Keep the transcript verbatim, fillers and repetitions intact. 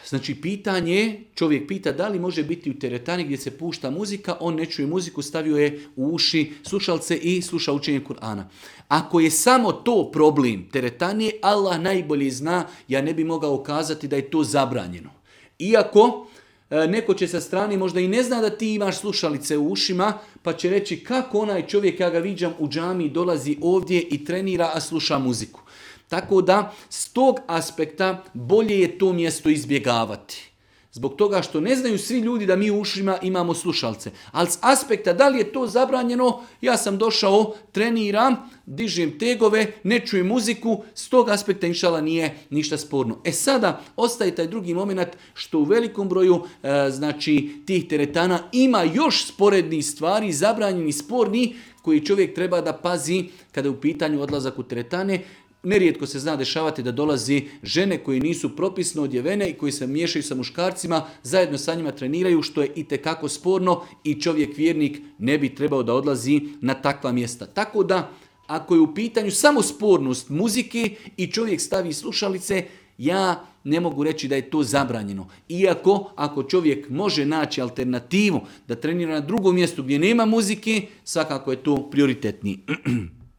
Znači pitanje, čovjek pita da li može biti u teretani gdje se pušta muzika, on ne čuje muziku, stavio je u uši slušalce i sluša učenje Kur'ana. Ako je samo to problem teretanje, Allah najbolje zna, ja ne bi mogao kazati da je to zabranjeno. Iako neko će sa strane možda i ne zna da ti imaš slušalice u ušima, pa će reći kako onaj čovjek, ja ga viđam u džamiji, dolazi ovdje i trenira, a sluša muziku. Tako da, s tog aspekta bolje je to mjesto izbjegavati. Zbog toga što ne znaju svi ljudi da mi u ušima imamo slušalce. Ali s aspekta da li je to zabranjeno, ja sam došao, treniram, dižem tegove, ne čujem muziku, s tog aspekta inšala nije ništa sporno. E sada ostaje taj drugi moment što u velikom broju e, znači tih teretana ima još sporednih stvari, zabranjeni, sporni, koji čovjek treba da pazi kada je u pitanju odlazak u teretane. Nerijetko se zna dešavati da dolazi žene koje nisu propisno odjevene i koji se miješaju sa muškarcima, zajedno sa njima treniraju, što je itekako sporno i čovjek vjernik ne bi trebao da odlazi na takva mjesta. Tako da, ako je u pitanju samo spornost muzike i čovjek stavi slušalice, ja ne mogu reći da je to zabranjeno. Iako, ako čovjek može naći alternativu da trenira na drugom mjestu gdje nema muzike, svakako je to prioritetniji.